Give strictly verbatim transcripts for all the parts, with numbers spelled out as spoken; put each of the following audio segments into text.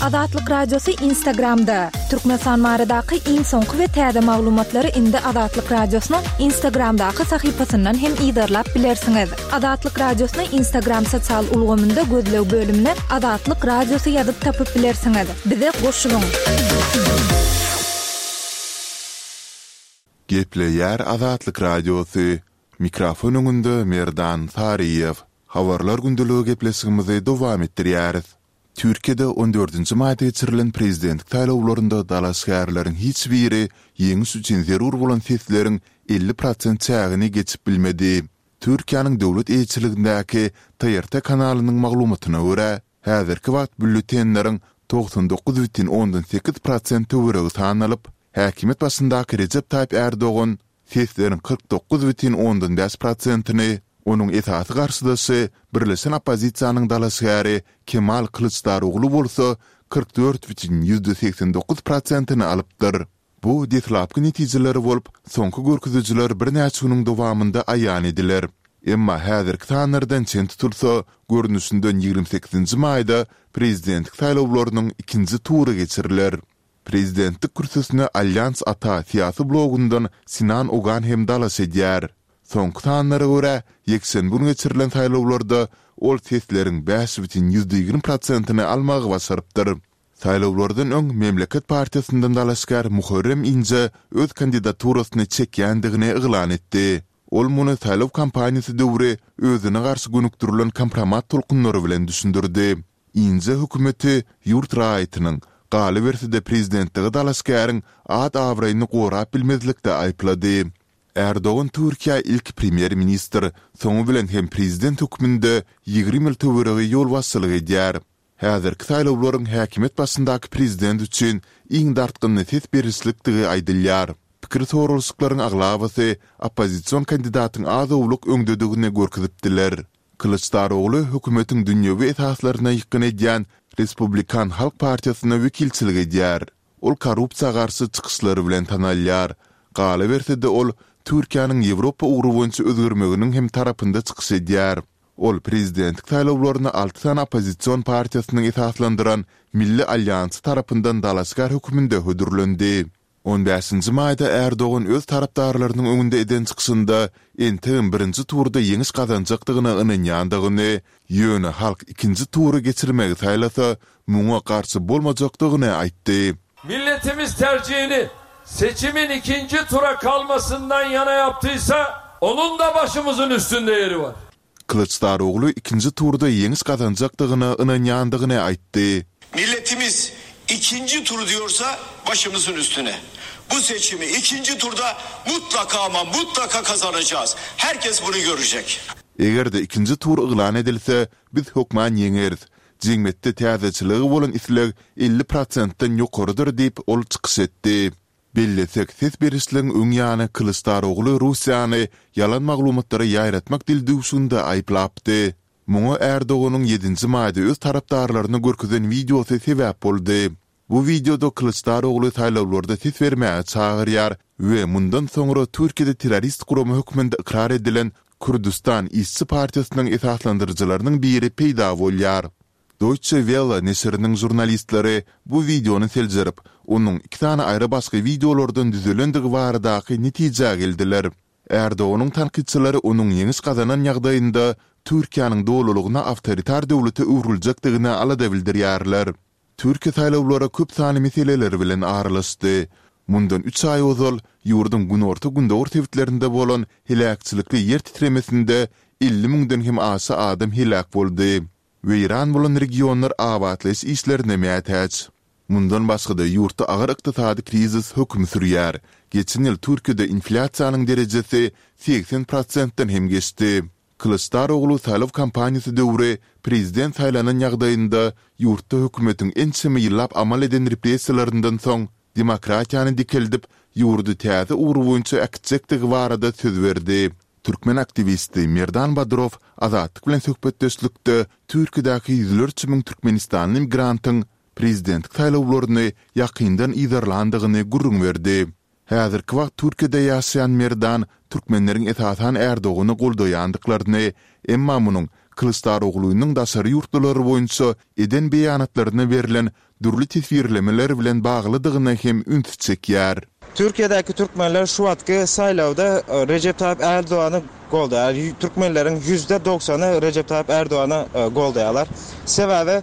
Azatlyk Radiosy Instagramda. Türkmenistan baradaky iň soňky we täze maglumatlary indi Azatlyk Radiosynyň Instagramdaky sahypasyndan hem yzarlap bilersiňiz. Azatlyk Radiosyny Instagram sosial ulgamynda gözleg bölümine Azatlyk Radiosy ýazyp tapyp bilersiňiz. Bize goşulyň! Gepleýär Azatlyk Radiosy. Mikrofon öňünde Merdan Saryýew. Habarlar gündeligi gepleşigimizi dowam etdirýäris. Türkiýede on dördünji maýda geçirilen prezidentlik saýlawlarynda dalaşgärleriň hiç biri ýeňiş üçin zerur bolan sesleriň elli prosent çägini geçip bilmedi. Türkiýäniň döwlet eýeçiligindäki TRT kanalynyň maglumatyna görä, häzirki wagt býulletenleriň togsan dokuz bütin ondan sekiz prosent töweregi sanalyp, häkimiýet başyndaky Rejep Taýyp Ärdogan sesleriň kyrk dokuz bütin ondan bäş prosentini, onuň esasy garşydaşy, birleşen oppozisiýanyň dalaşgäri Kemal Kylyçdarogly bolsa kyrk dört bütin ýüzde segsen dokuz prosentini alypdyr. Bu deslapky netijeler bolup, soňky görkezijiler birnäçe günüň dowamynda aýan ediler. Emma häzirki sanlardan çen tutulsa, görnüşinden ýigrimi sekizinji maýda prezidentlik saýlawlarynyň ikinji tury geçiriler. Prezidentlik kürsüsine Alýans Ata syýasy blogundan Sinan Ogan hem dalaş edýär. Soňky sanlara görä, ýekşenbe güni geçirilen saýlawlarda ol sesleriň bäş bütin ýüzde ýigrimi prosentini almagy başarypdyr. Saýlawlardan öň Memleket partiýasyndan dalaşgär Muharrem Inje öz kandidaturasyny çekýändigini yglan etdi. Ol muny saýlaw kampaniýasy döwri özüne garşy gönükdirilen kompromat tolkunlary bilen düşündirdi. Inje hökümeti ýurt raýatynyň, galyberse-de prezidentlige dalaşgäriň at-abraýyny gorap bilmezlikde aýyplady. Erdogan Türkiýä ilki premýer-ministr, soňy bilen hem prezident hökmünde ýigrimi ýyl töweregi ýolbaşçylyk edýär. Häzirki saýlawlaryň häkimiýet başyndaky prezident üçin iň dartgynly ses berişlikdigi aýdylýar. Pikir soralyşyklaryň aglabasy oppozision kandidatyň az-owlak öňdedigini görkezipdiler. Kylyçdarogly hökümetiň dünýewi esaslaryna ýykgyn edýän Respublikan halk partiýasyna wekilçilik edýär. Ol korrupsiýa garşy çykyşlary bilen tanalýar. Galyberse-de ol Türkiýäniň Ýewropa ugry boýunça özgermeginiň hem tarapynda çykyş edýär. Ol prezidentlik saýlawlaryna alty sany oppozision partiýasynyň esaslandyran Milli alýansy tarapyndan dalaşgär hökmünde hödürlendi. On bäşinji maýda Ärdogan öz tarapdarlarynyň öňünde eden çykyşynda entegem birinji turda ýeňiş gazanjakdygyna ynanýandygyny, ýöne halk ikinji tury geçirmegi saýlasa, muňa garşy bolmajakdygyny aýtdy. Milletimiz tercihini seçimin ikinji tura kalmasyndan yana yaptıysa, onun da başymyzın üstünde yeri bar. Kylyçdarogly ikinji turda ýeňiş gazanjakdygyna ynanýandygyny aýtdy. Milletimiz ikinji tur diýorsa başymyzyň üstüne. Bu seçimi ikinji turda mutlaka ama mutlaka kazanacağız. Herkes bunu görecek. Eger-de ikinji tur yglan edilse, biz hökman ýeňeris. Jemgyýetde täzeçilige bolan isleg elli prosentden ýokarydyr diýip, ol çykyş etdi. Bellesek, ses berişligiň öň ýany Kylyçdarogly Russiýany ýalan maglumatlary ýaýratmak dildüwşüginde aýyplapdy. Muňa Erdoganyň ýedinji maýda öz tarapdarlaryna görkezen wideosy sebäp boldy. Bu wideoda Kylyçdarogly saýlawlarda ses bermäge çagyrýar we mundan soňra Türkiýede terrorist gurama hökmünde ykrar edilen Kürdüstan işçi partiýasynyň esaslandyryjylarynyň biri peýda bolýar. Deutsche Welle neşiriniň žurnalistleri bu wideony seljerip, onuň iki sany aýry-başga wideolardan düzülendigi baradaky netijä geldiler. Erdoganyň tankytçylary onuň ýeňiş gazanan ýagdaýynda Türkiýäniň dolulygyna awtoritar döwlete öwrüljekdigine alada bildirýärler. Türkiýe saýlawlara köp sanly meseleler bilen aralaşdy. Mundan üç aý ozal ýurduň günorta-gündogar sebitlerinde bolan heläkçilikli ýer titremesinde elli müňden hem aşa adam heläk boldy. Weýran bolan regionlar abatlaýyş işlerine mätäç. Mundan başga-da ýurtda agyr ykdysady krizis höküm sürýär. Geçen ýyl Türkiýede inflýasiýanyň derejesi segsen prosentden hem geçdi. Kylyçdaroglu saýlaw kampaniýasy döwri prezident saýlanan ýagdaýynda ýurtda hökümetiň ençeme ýyllap amal eden repressiýalaryndan soň demokratiýany dikeldip, ýurdy täze ugur boýunça äkitjekdigi barada söz berdi. Türkmen aktiwisti Merdan Badrow Azatlyk bilen söhbetdeşlikde Türkiýedäki ýüzlerçe müň türkmenistanly migrantyň prezidentlik saýlawlaryny ýakyndan yzarlandygyny gürrüň berdi. Häzirki wagt Türkiýede ýaşaýan Merdan türkmenleriň esasan Erdogany goldaýandyklaryny, emma munuň Kylyçdaroglunyň daşary ýurtlular boýunça eden beýanatlaryna berlen dürli teswirlemeler bilen baglydygyna hem üns çekýär. Türkiýedäki türkmenler şu wagtky saýlawda Rejep Taýyp Erdogany goldaýar. Türkmenleriň ýüzde dogsany Rejep Taýyp Erdogany goldaýarlar. Sebäbi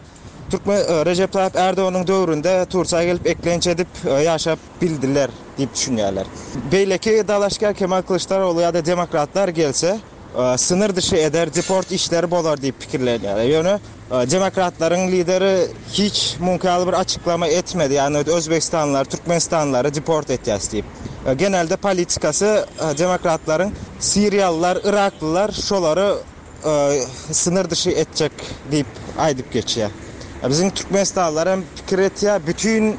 türkmen Rejep Taýyp Erdoganyň döwründe Türkiýä gelip eklenç edip ýaşap bildiler diýip düşünýärler. Beýleki dalaşgär Kemal Kılıçdaroğlu ýa-da demokratlar gelse, sınır dışı eder, deport işleri bolar diýip pikirlenýärler. Ýöne demokratlaryň lideri hiç mümkin bir açyklama etmedi. Ýagny Özbegistanlylar, Türkmenistanlylary deport etýäs diýip. Genelde politikasy demokratlaryň Siriýalylar, Iraklylar şolary sınır dışı etjek diýip aýdyp geçýär. Biziň Türkmenistanlylar hem pikir etýär, bütün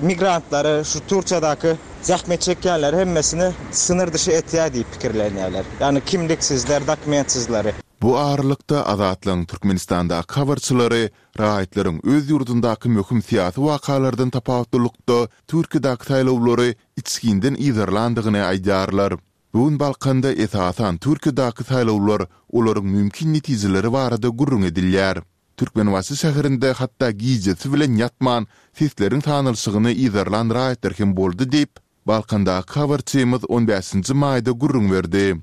migrantlary şu Türkiýedäki zähmet çekýänler hemmesini sınır dışı etýär diýip pikirlenýärler. Ýagny kimliksizler, dokumentsizleri. Bu aralykda Azatlygyň Türkmenistandaky habarçylary raýatlaryň öz ýurdundaky möhüm syýasy wakalardan tapawutlylykda Türkiýedäki saýlawlary içginden yzarlandygyny aýdýarlar. Bu gün Balkanda esasan Türkiýedäki saýlawlar, olaryň mümkin netijeleri barada gürrüň edilýär. Türkmenbaşy şäherinde hatda gijesi bilen ýatman sesleriň sanalyşygyny yzarlan raýatlar hem boldy diýip, Balkandaky habarçymyz on bäşinji maýda gürrüň berdi.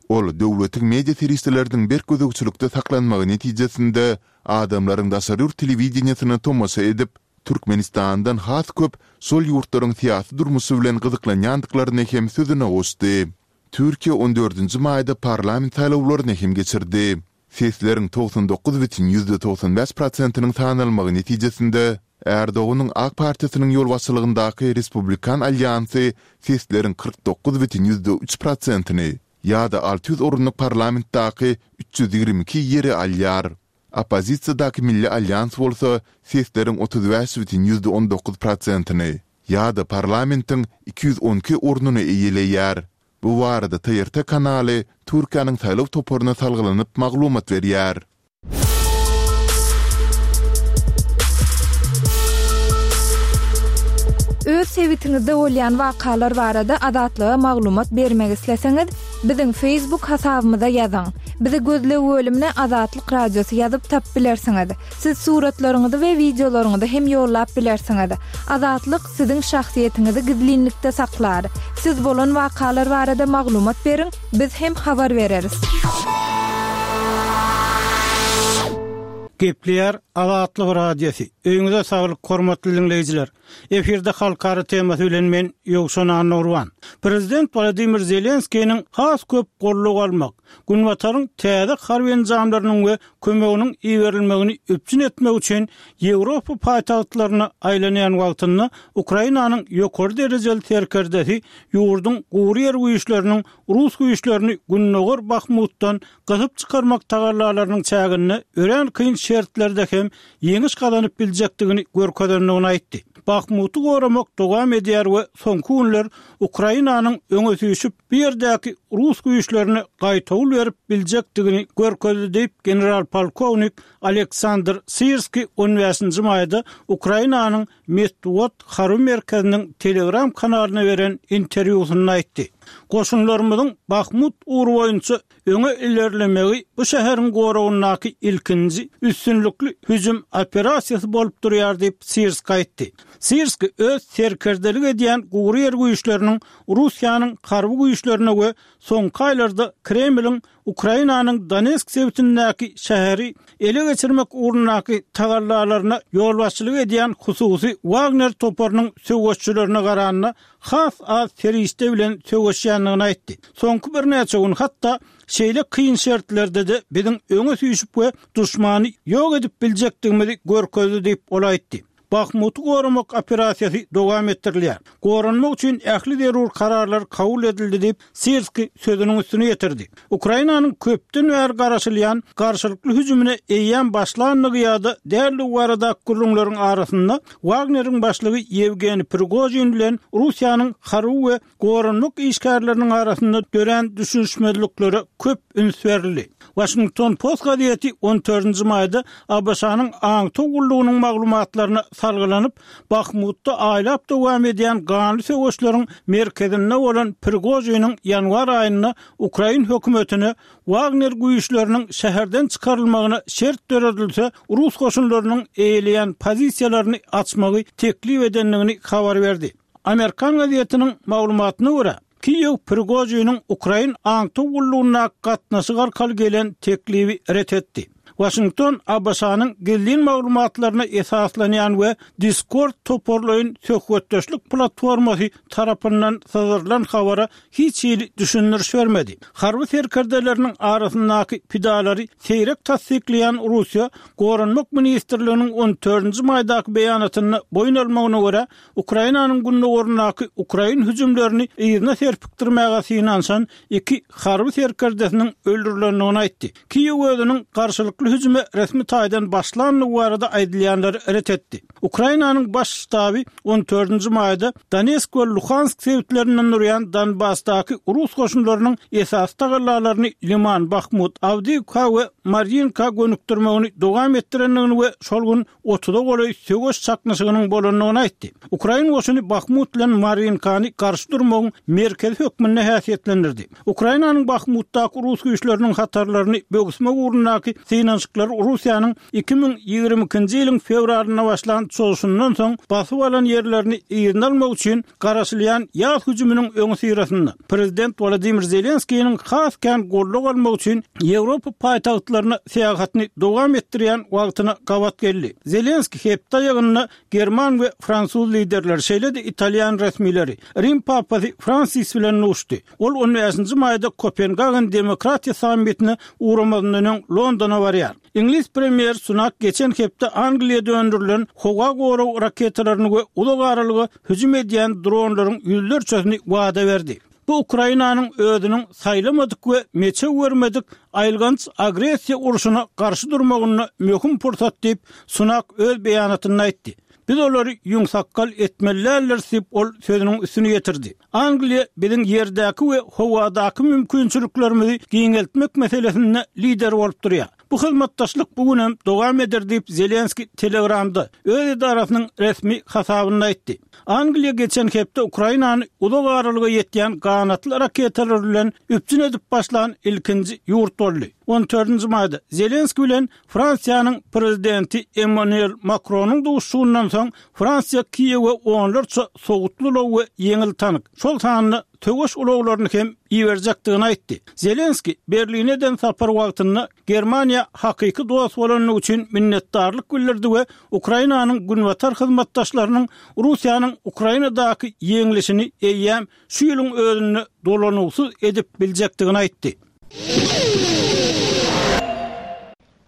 Ol döwletiň media serişdeleriniň berk gözegçilikde saklanmagy netijesinde adamlaryň daşary ýurt telewideniýesine tomaşa edip, Türkmenistandan has köp şol ýurtlaryň syýasy durmuşy bilen gyzyklanýandyklaryny hem sözüne goşdy. Türkiýe on dördünji maýda parlament saýlawlaryny hem geçirdi. Sesleriň togsan dokuz bütin ýüzde togsan bäş prosentiniň sanalmagy netijesinde Erdoganyň AK Partiýasynyň ýolbaşçylygyndaky Respublikan alýansy sesleriň kyrk dokuz bütin ýüzde üç prosentini ýa-da alty ýüz orunlyk parlamentdaky üç ýüz ýigrimi iki ýeri alýar. Oppozisiýadaky Milli alýans bolsa sesleriň otuz bäş bütin ýüzde on dokuz prosentini ýa-da parlamentiň iki ýüz on iki ornuny eýeleýär. Bu barada T R T kanaly Türkiýäniň saýlaw toparyna salgylanyp maglumat berýär. Öz sebitiňizde bolýan wakalar barada Azatlyga maglumat bermek isleseňiz, biziň Facebook hasabymyza ýazyň. Bizi gözleg bölümine Azatlyk Radiosy ýazyp tap bilersiňiz. Siz suratlaryňyzy we wideolaryňyzy hem ýollap bilersiňiz. Azatlyk siziň şahsyýetiňizi gizlinlikde saklar. Siz bolan wakalar barada maglumat beriň, biz hem habar bereris. Gepleýär Azatlyk Radiosy. Öýüňize saglyk, hormatly dinleýjiler. Efirde halkara temasy bilen men Ýowşan Annurwan. Prezident Wladimir Zelenskiniň has köp gollugy almak, Günbataryň täze harby enjamlarynyň we kömeginiň iberilmegini üpjün etmek üçin Ýewropa paýtagtlaryna aýlanýan wagtynda Ukrainanyň ýokary derejeli serkerdesi ýurduň gury ýer güýçleriniň rus güýçlerini Gündogar Bahmutdan gysyp çykarmak tagallalarynyň çäginde örän kyn şertlerde hem ýeňiş gazanyp biljekdigini görkezendigini aýtdy. Bahmuty goramak dowam edýär we soňky günler Ukrainanyň öňe süýşüp bu ýerdäki rus güýçlerine gaýtawul berip biljekdigini görkezdi diýip general polkownik Aleksandr Sirski on bäşinji maýda Ukrainanyň Metbugat harby merkeziniň Telegram kanalyna beren interwýusynda aýtdy. Goşunlarymyzyň Bahmut ugry boýunça öňe ilerlemegi bu şäheriň goragyndaky ilkinji üstünlikli hüjüm operasiýasy bolup durýar diýip Sirski aýtdy. Sirski öz serkerdelik edýän gury ýer güýçleriniň Russiýanyň harby güýçlerine we soňky aýlarda Kremliň Ukrainanyň Donetsk sebitindäki şäheri ele geçirmek ugrundaky tagallalaryna ýolbaşçylyk edýän hususy Wagner toparynyň söweşçilerine garanda has az serişde bilen söweşýändigini aýtdy. Soňky birnäçe gün hatda şeýle kyn şertlerde-de biziň öňe süýşüp we duşmany ýok edip biljekdigimizi görkezdi diýip ol aýtdy. Bahmuty goramak operasiýasy dowam etdirilýär. Goranmak üçin ähli zerur kararlar kabul edildi diýip Sirski sözüniň üstüne ýetirdi. Ukrainanyň köpden bäri garaşylýan garşylykly hüjümine eýýäm başlandygy ýa-da däldigi baradaky gürrüňleriň arasynda Wagneriň başlygy Ýewgeniý Prigožin bilen Russiýanyň harby we goranmak işgärleriniň arasynda dörän düşünişmezliklere köp üns berildi. Washington Post gazeti on dördünji maýda A B Ş-nyň aňtaw gullugynyň maglumatlaryna salgylanyp, Bahmutda aýlap dowam edýän ganly söweşleriň merkezinde bolan Prigožiniň ýanwar aýynda ukrain hökümetine Wagner güýçleriniň şäherden çykarylmagyna şert döredilse, rus goşunlarynyň eýeleýän pozisiýalaryny açmagy teklip edendigini habar berdi. Amerikan gazetiniň maglumatyna görä, Kiýew Prigožiniň ukrain aňtaw gullugyna gatnaşyk arkaly gelen teklibi ret etdi. Waşington A B Ş-nyň gizlin maglumatlaryna esaslanýan we Discord toparlaýyn söhbetdeşlik platformasy tarapyndan syzdyrylan habara hiç hili düşündiriş bermedi. Harby serkerdeleriniň arasyndaky pidalary seýrek tassyklaýan Russiýa Goranmak ministrliginiň on dördünji maýdaky beýanatynda boýun almagyna görä, Ukrainanyň gündogaryndaky ukrain hüjümlerini yzyna serpikdirmäge synanyşan iki harby serkerdesiniň öldürilendigini aýtdy. Kiýew özüniň garşylykly hüjüme resmi taýdan başlandygy barada aýdylýanlary ret etdi. Ukrainanyň baş ştaby on dördünji maýda Donetsk we Luhansk sebitlerinden durýan Donbasdaky rus goşunlarynyň esasy tagallalaryny Liman, Bahmut, Awdiýewka we Maryinka gönükdirmegini dowam etdirendigini we şol gün otuza golaý söweş çaknyşygynyň bolandygyny aýtdy. Ukrain goşuny Bahmut bilen Marinkany garşy durmagyň merkezi hökmünde häsiýetlendirdi. Ukrainanyň Bahmutdaky rus güýçleriniň hatarlaryny böwüsmek ugrundaky synanyşyklar Russiýanyň iki müň ýigrimi ikinji ýylyň fewralynda başlan çozuşyndan soň basyp alan ýerlerini yzyna almak üçin garaşylýan ýaz hüjüminiň öňüsyrasynda Prezident Wladimir Zelenskiniň has kän goldaw almak üçin Ýewropa paýtagtlaryna syýahatyny dowam etdirýän wagtyna gabat geldi. Zelenski hepde aýagynda German we Fransuz liderleri, şeýle-de Italýan resmileri, Rim papasy Fransis bilen duşdy. Ol on bäşinji maýda Kopengagen demokratiýa sammitine ugramazyndan öň Londona barýar. Iňlis premýer Sunak geçen hepde Angliýada öndürilen howa gorag raketalaryny we uzak aralyga hüjüm edýän dronlaryň ýüzlerçesini wada berdi. Bu Ukrainanyň özüniň saýlamadyk we meçew görmedik aýylganç agressiýa urşuna garşy durmagynda möhüm pursat diýip, Sunak öz beýanatynda aýtdy. Biz olary ýüňsakgal etmelidirler diýip, ol sözüniň üstüni ýetirdi. Angliýa biziň ýerdäki we howadaky mümkinçiliklerimizi giňeltmek meselesinde lider bolup durýar. Bu hyzmatdaşlyk bu gün hem dowam eder diýip, Zelenski Telegramda öz edarasynyň resmi hasabynda aýtdy. Angliýa geçen hepde Ukrainany uzak aralyga ýetýän ganatly raketalar bilen üpjün edip başlan ilkinji ýurt boldy. on dördünji maýda Zelenski bilen Fransiýanyň prezidenti Emmanuel Macron'uň duşuşygyndan soň Fransiýa Kiýewe onlarça sowutly ulag we ýeňil tank, şol sanda söweş ulaglaryny hem iberjekdigini aýtdy. Zelenski Berline sapar wagtynda Germaniýa hakyky dost bolandygy üçin minnetdarlyk bildirdi we Ukrainanyň günbatar hyzmatdaşlarynyň Russiýanyň Ukrainadaky ýeňlişini eýýäm şu ýylyň özünde dolanyşyksyz edip biljekdigini aýtdy.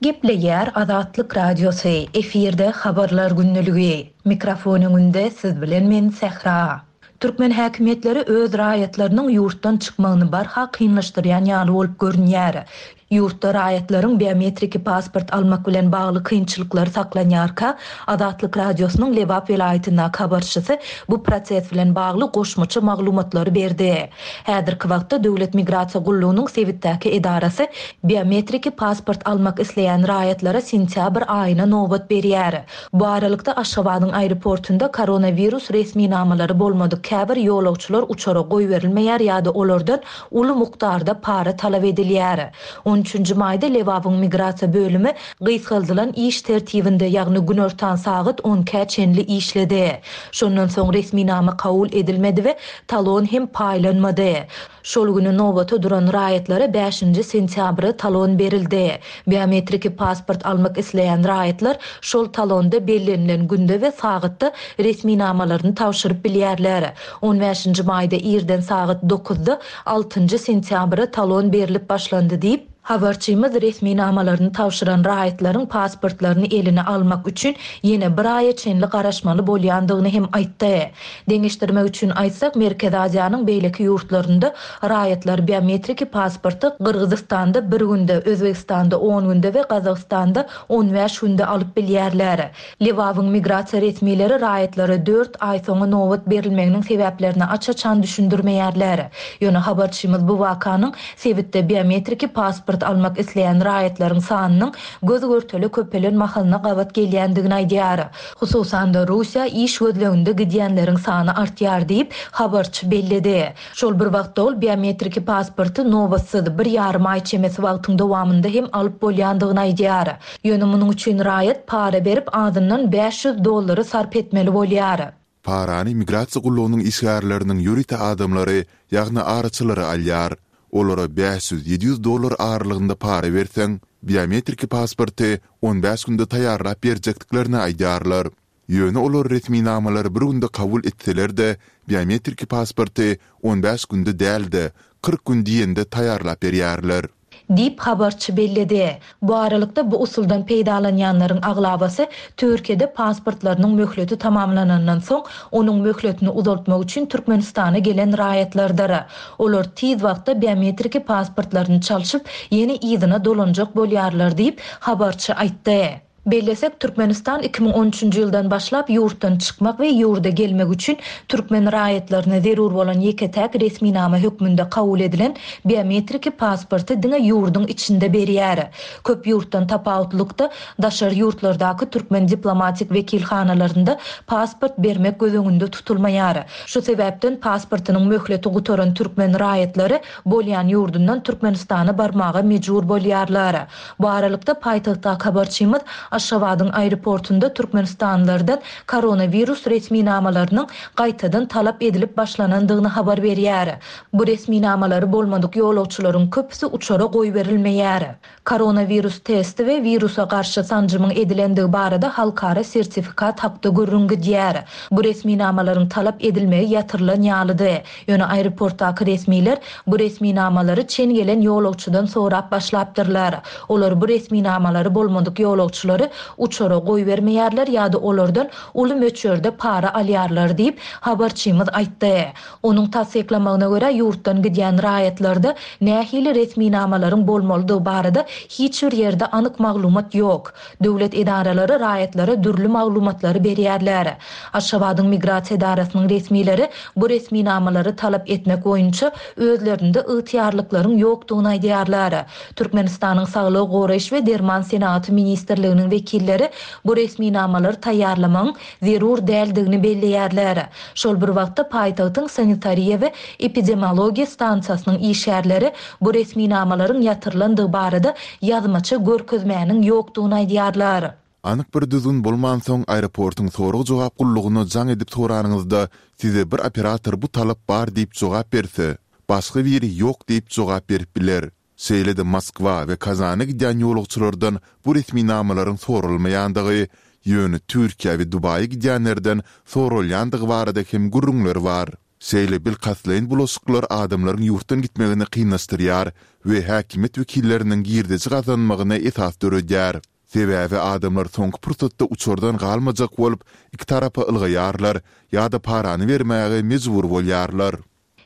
Gepleýär Azatlyk Radiosy, efirde habarlar günlügi. Mikrofon öňünde siz bilen men Sähra. Türkmen häkimiýetleri öz raýatlarynyň ýurtdan çykmagyny barha kynlaşdyrýan ýaly bolup görünýär. Ýurtda raýatlaryň biometriki pasport almak bilen bagly kynçylyklar saklanýarka, Azatlyk Radiosynyň Lebap welaýatyndaky habarçysy bu proses bilen bagly goşmaça maglumatlary berdi. Häzirki wagtda Döwlet migrasiýa gullugynyň sebitdäki edarasy biometriki pasport almak isleýän raýatlara sentýabr aýyna nobat berýär. Bu aralykda Aşgabadyň aeroportunda koronawirus resminamalary bolmadyk käbir ýolagçylar uçara goýberilmeýär ýa-da olardan uly mukdarda para talap edilýär. on üçünji maýda Lebabyň migrasiýa bölümi gysgaldylan iş tertibinde, ýagny günortan sagat on ikä çenli işledi. Şondan soň resminama kabul edilmedi we talon hem paýlanmady. Şol günü nobata duran raýatlara bäşinji sentýabra talon berildi. Biometriki pasport almak isleýän raýatlar şol talonda bellenilen günde we sagatda resminamalaryny tabşyryp bilýärler. on bäşinji maýda irden sagat dokuzda altynjy sentýabra talon berilip başlandy diýip, habarçymyz resminamalaryny tabşyran raýatlaryň pasportlaryny eline almak üçin ýene bir aýa çenli garaşmaly bolýandygyny hem aýtdy. Deňeşdirmek üçin aýtsak, Merkezi Aziýanyň beýleki ýurtlarynda raýatlar biometriki pasporty Gyrgyzystanda bir günde, Özbegistanda on günde we Gazagystanda on bäş günde alyp bilýärler. Lebabyň migrasiýa resmileri raýatlara dört aý soňra nobat berilmeginiň sebäplerini aç-açan düşündirmeýärler. Ýöne habarçymyz bu wakanyň sebitde biometriki pasport pasport almak isleýän raýatlaryň sanynyň göz-görtele köpelen mahalyna gabat gelýändigini aýdýar. Hususan-da, Russiýa iş gözleginde gidýänleriň sany artýar diýip, habarçy belledi. Şol bir wagtda ol biometriki pasporty nobatsyz, bir ýarym aý çemesi wagtyň dowamynda hem alyp bolýandygyny aýdýar. Ýöne munuň üçin raýat para berip, azyndan bäş ýüz dollary sarp etmeli bolýar. Parany migrasiýa gullugynyň işgärleriniň ýörite adamlary, ýagny araçylary alýar. Olara bäş ýüz, ýedi ýüz dollar aralygynda para berseň, biometriki pasporty on bäş günde taýýarlap berjekdiklerini aýdýarlar. Ýöne olar resminamalary bir günde kabul etseler-de, biometriki pasporty on bäş günde däl-de, kyrk gün diýende taýýarlap berýärler. Diýip, habarçy belledi. Bu aralykda, bu usuldan peýdalanýanlaryň aglabasy Türkiýede pasportlarynyň möhleti tamamlanandan soň, onuň möhletini uzaltmak üçin Türkmenistana gelen raýatlardyr. Olar tiz wagtda biometriki pasportlaryny çalşyp, ýene yzyna dolanjak bolýarlar diýip, habarçy aýtdy. Bellesek, Türkmenistan iki müň on üçünji ýyldan başlap ýurtdan çykmak we ýurda gelmek üçin türkmen raýatlaryna zerur bolan ýeke-täk resminama hökmünde kabul edilen biometriki pasporty diňe ýurduň içinde berýär. Köp ýurtdan tapawutlykda, daşary ýurtlardaky türkmen diplomatik wekilhanalarynda pasport bermek göz öňünde tutulmaýar. Şu sebäpden pasportynyň möhleti gutaran türkmen raýatlary bolýan ýurdundan Türkmenistana barmaga mejbur bolýarlar. Bu aralykda paýtagtdaky habarçymyz Aşgabadyň aeroportunda türkmenistanlylardan koronawirus resminamalarynyň gaýtadan talap edilip başlanandygyny habar berýär. Bu resminamalary bolmadyk ýolagçylaryň köpüsi uçara goýberilmeýär. Koronawirus testi we wirusa garşy sanjymyň edilendigi barada halkara sertifikat hakda gürrüň gidýär. Bu resminamalaryň talap edilmegi ýatyrylan ýalydy. Ýöne aeroportdaky resmiler bu resminamalary çen gelen ýolagçydan sorap başlapdyrlar. Olar bu resminamalary bolmadyk ýolagçylary uçara goýbermeýärler ýa-da olardan uly möçberde para alýarlar diýip, habarçymyz aýtdy. Onuň tassyklamagyna görä ýurtdan gidýän raýatlarda nähili resminamalaryň bolmalydygy barada hiç bir ýerde anyk maglumat ýok. Döwlet edaralary raýatlara dürli maglumatlary berýärler. Aşgabadyň migrasiýa edarasynyň resmileri bu resminamalary talap etmek boýunça özlerinde ygtyýarlyklaryň ýokdugyny aýdýarlar. Türkmenistanyň Saglygy goraýyş we derman senagaty ministrliginiň wekilleri bu resminamalary taýýarlamagyň zerur däldigini belleýärler. Şol bir wagtda paýtagtyň sanitariýa we epidemiologiýa stansiýasynyň işgärleri bu resminamalaryň ýatyrylandygy barada ýazmaça görkezmäniň ýokdugyny aýdýarlar. Anyk bir düzgün bolmansoň aeroportuň sorag-jogap gullugyna jaň edip soranyňyzda size bir operator bu talap bar diýip jogap berse, başga biri ýok diýip jogap berip biler. Şeýle-de Moskwa we Kazana gidýän ýolagçylardan bu resminamalaryň soralmaýandygy, ýöne Türkiýe we Dubaýa gidýänlerden soralýandygy barada hem gürrüňler bar. Şeýle bilkastlaýyn bulaşyklar adamlaryň ýurtdan gitmegini kynlaşdyrýar we häkimiýet wekilleriniň girdeji gazanmagyna esas döredýär. Sebäbi adamlar soňky pursatda uçardan galmajak bolup, iki tarapa ylgaýarlar ýa-da parany bermäge mejbur bolýarlar.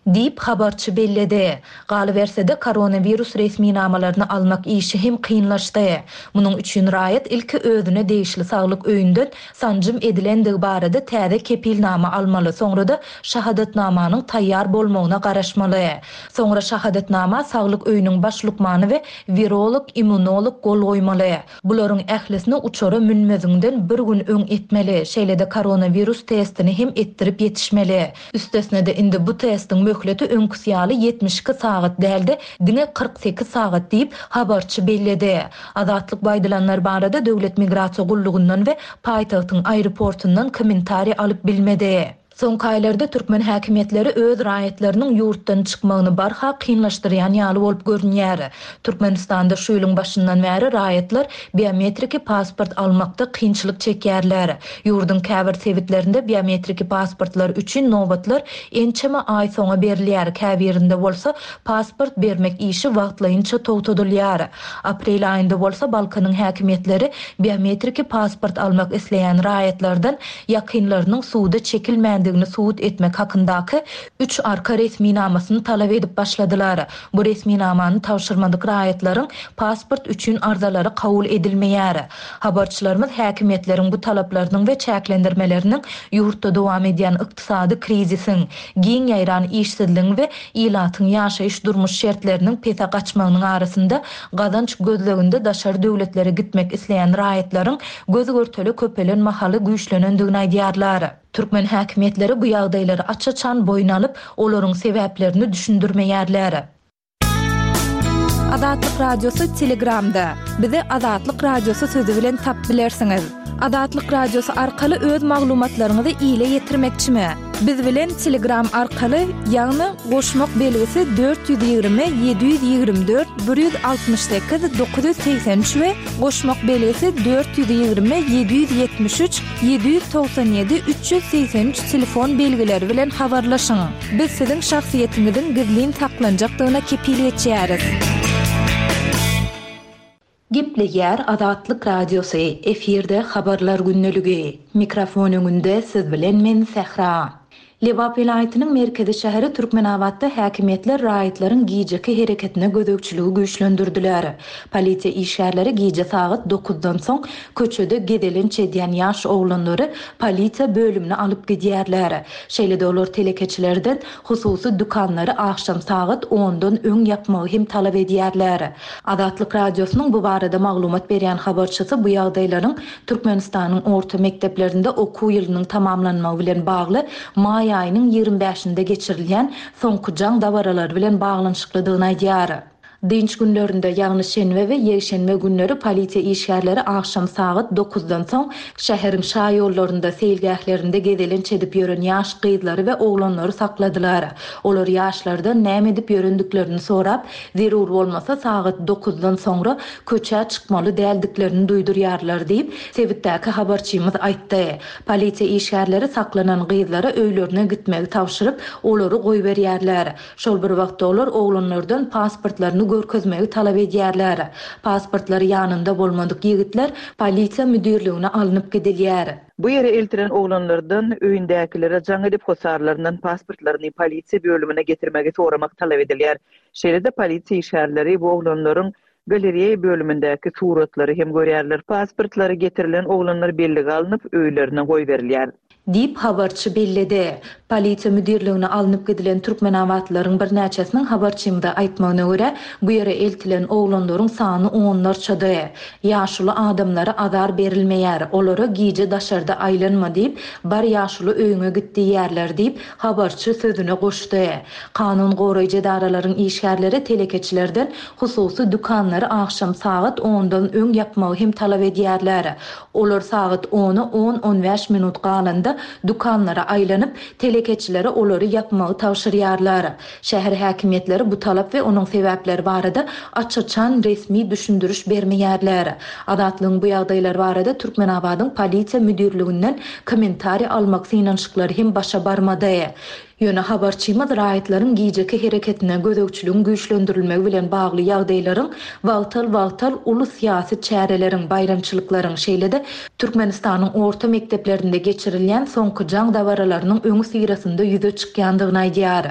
Diýip habarçy belledi. Galyberse-de koronawirus resminamalaryny almak işi hem kynlaşdy. Munuň üçin raýat ilki özüne degişli saglyk öýünden sanjym edilendigi barada täze kepilnama almaly, soňra-da şahadatnamanyň taýýar bolmagyna garaşmaly. Soňra şahadatnama saglyk öýüniň baş lukmany we wirolog, immunolog gol goýmaly. Bularyň ählisini uçara münmeziňden bir gün öň etmeli, şeýle-de koronawirus testini hem etdirip ýetişmeli. Üstesine-de indi bu testiň möhleti öňküsi ýaly ýetmiş iki sagat däldi, diňe kyrk sekiz sagat diýip habarçy belledi. Azatlyk bu aýdylanlar barada Döwlet migrasiýa gullugyndan we paýtagtyň aeroportundan kommentariý alyp bilmedi. Soňky aýlarda türkmen häkimiýetleri öz raýatlarynyň ýurtdan çykmagyny barha kynlaşdyrýan ýaly bolup görünýär. Türkmenistanda şu ýylyň başyndan bäri raýatlar biometriki pasport almakda kynçylyk çekýärler. Ýurduň käbir sebitlerinde biometriki pasportlar üçin nobatlar ençeme aý soňa berilýär. Käbirinde bolsa pasport bermek işi wagtlaýynça togtadylýar. Aprel aýynda bolsa Balkanyň häkimiýetleri biometriki pasport almak isleýän raýatlardan ýakynlarynyň suwda çekilmän däldigini subut etmek hakyndaky üç arka resminamasyny talap edip başladylar. Bu resminamany tabşyrmadyk raýatlaryň pasport üçin arzalary kabul edilmeýär. Habarçylarymyz häkimiýetleriň bu talaplarynyň we çäklendirmeleriniň ýurtda dowam edýän ykdysady krizisiň, giň ýaýran işsizligiň we ilatyň ýaşaýyş durmuş şertleriniň pese gaçmagynyň arasynda gazanç gözleginde daşary döwletlere gitmek isleýän raýatlaryň göz-görtele köpelen mahaly güýçlenendigini aýdýarlar. Türkmen häkimiýetleri bu ýagdaýlary aç-açan boýun alyp, olaryň sebäplerini düşündirmeýärler. Azatlyk Radiosy Telegramda. Bizi Azatlyk Radiosy sözi bilen tap bilersiňiz. Azatlyk Radiosy arkaly öz maglumatlaryňyzy ile ýetirmekçimi? Biz bilen Telegram arkaly, ýagny goşmak belgisi dört ýüz ýigrimi ýedi ýüz ýigrimi dört bir ýüz altmyş sekiz dokuz ýüz segsen üç we goşmak belgisi dört ýüz ýigrimi ýedi ýüz ýetmiş üç ýedi ýüz togsan ýedi üç ýüz segsen üç telefon belgileri bilen habarlaşyň. Biz siziň şahsyýetiňiziň gizlin saklanjakdygyna kepil geçýäris. Gepleýär Azatlyk Radiosy, efirde habarlar gündeligi. Mikrofon öňünde siz bilen men Sähra. Lebap welaýatynyň merkezi şäheri Türkmenabatda häkimiýetler raýatlaryň gijeki hereketine gözegçiligi güýçlendirdiler. Polisiýa işgärleri gije sagat dokuzdan soň köçede gezelenç edýän ýaş oglanlary polisiýa bölümine alyp gidýärler. Şeýle-de olar telekeçilerden hususy dükanlary akşam sagat ondan öň ýapmagy hem talap edýärler. Azatlyk Radiosynyň bu barada maglumat berýän habarçysy bu ýagdaýlaryň Türkmenistanyň orta mekdeplerinde okuw ýylynyň tamamlanmagy bilen bagly maý aýynyň ýigrimi bäşinde geçirilýän soňky jaň dabaralary bilen baglanyşyklydygyny aýdýar. Dynç günlerinde, ýagny şenbe we ýekşenbe günleri polisiýa işgärleri akşam sagat dokuzdan soň şäheriň şaýollarynda, seýilgählerinde gezelenç edip ýören ýaş gyzlary we oglanlary sakladylar. Olar ýaşlardan näme edip ýörendiklerini sorap, zerur bolmasa sagat dokuzdan soňra köçä çykmaly däldiklerini duýdurýarlar diýip, sebitdäki habarçymyz aýtdy. Polisiýa işgärleri saklanan gyzlara öýlerine gitmegi tabşyryp, olary goýberýärler. Şol bir wagtda olar oglanlardan pasportlaryny görkezmegi talap edýärler. Pasportlary ýanynda bolmadyk ýigitler polisiýa müdirligine alnyp gidilýär. Bu ýere eltilen oglanlardan öýündäkilere jaň edip hosarlaryndan pasportlaryny polisiýa bölümine getirmegi soramak talap edilýär. Şeýle-de polisiýa işgärleri bu oglanlaryň galereýa bölümindäki suratlary hem görýärler. Pasportlary getirilen oglanlar bellige alnyp öýlerine goýberilýär. Diýip habarçy belledi. Polisiýa müdirligine alnyp gidilen Türkmenabatlaryň birnäçesiniň habarçymyza aýtmagyna görä, bu ýere eltilen oglanlaryň sany onlarçady. Ýaşuly adamlara azar berilmeýär, olara gije daşarda aýlanma diýip, bar ýaşuly öýüňe git diýýärler diýip, habarçy sözüne goşdy. Kanun goraýjy edaralaryň işgärleri telekeçilerden hususy dükanlary akşam sagat ondan öň ýapmagy hem talap edýärler. Olar sagat ona on-on bäş minut galanda dükanlara aýlanyp, telekeçilere olary ýapmagy tabşyrýarlar. Şäher häkimiýetleri bu talap we onuň sebäpleri barada aç-açan resmi düşündiriş bermeýärler. Azatlygyň bu ýagdaýlar barada Türkmenabadyň polisiýa müdirliginden kommentariý almak synanyşyklary hem başa barmady. Ýöne habarçymyz raýatlaryň gijeki hereketine gözegçiligiň güýçlendirilmegi bilen bagly ýagdaýlaryň wagtal-wagtal uly syýasy çäreleriň, baýramçylyklaryň, şeýle-de Türkmenistanyň orta mekdeplerinde geçirilýän soňky jaň dabaralarynyň öňi syrasynda ýüze çykýandygyny aýdýar.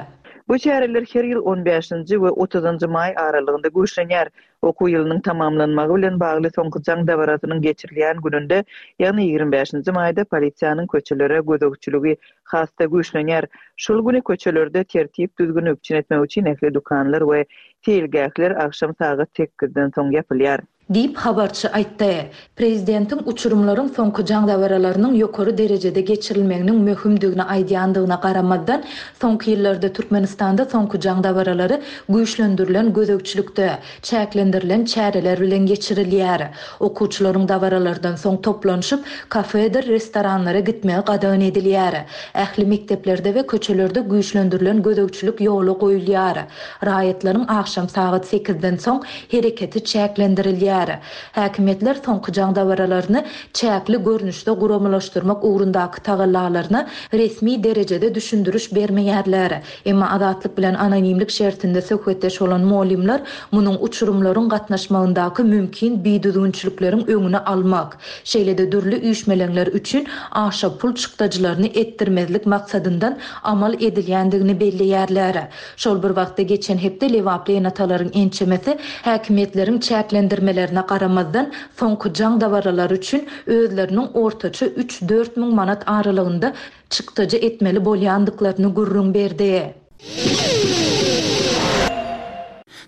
Bu çäreler her ýyl on bäşinji we otuzynjy maý aralygynda güýçlenýär. Okuw ýylynyň tamamlanmagy bilen bagly soňky jaň dabarasynyň geçirilýän gününde, ýagny ýigrimi bäşinji maýda polisiýanyň köçelere gözegçiligi has-da güýçlenýär. Şol güni köçelerde tertip düzgüni üpjün etmek üçin ähli dükanlar we seýilgähler akşam sagat sekizden soň ýapylýar. Diýip habarçy aýtdy. Prezidentiň uçurumlaryň soňky jaň dabaralarynyň ýokary derejede geçirilmeginiň möhümdigini aýdýandygyna garamazdan, soňky ýyllarda Türkmenistanda soňky jaň dabaralary güýçlendirilen gözegçilikde, çäklendirilen çäreler bilen geçirilýär. Okuwçylaryň dabaralardan soň toplanyşyp, kafedir, restoranlara gitmegi gadagan edilýär. Ähli mekdeplerde we köçelerde güýçlendirilen gözegçilik ýola goýulýar. Raýatlaryň akşam sagat sekizden soň hereketi çäklendirilýär. edilýär. Häkimiýetler soňky jaň dabaralaryny çäkli görnüşde guramalaşdyrmak ugrundaky tagallalaryna resmi derejede düşündiriş bermeýärler. Emma Azatlyk bilen anonimlik şertinde söhbetdeş bolan mugallymlar munuň uçurymlaryň gatnaşmagyndaky mümkin bidüzgünçilikleriň öňüni almak, şeýle-de dürli üýşmeleňler üçin aşa pul çykdajylaryny etdirmezlik maksadyndan amal edilýändigini belleýärler. Şol bir wagtda geçen hepde lebaply ene-atalaryň ençemesi häkimiýetleriň çäklendirmelerine garamazdan, soňky jaň dabaralary üçin özleriniň ortaça üç-dört müň manat aralygynda çykdajy etmeli bolýandyklaryny gürrüň berdi.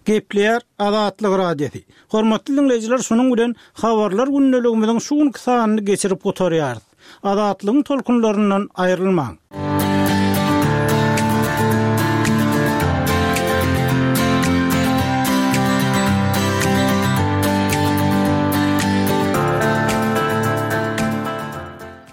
Gepleýär Azatlyk Radiosy. Hormatly diňleýjiler, şunuň bilen Habarlar gündeligimiziň şu günki sanyny geçirip gutarýarys. Azatlygyň tolkunlaryndan aýrylmaň!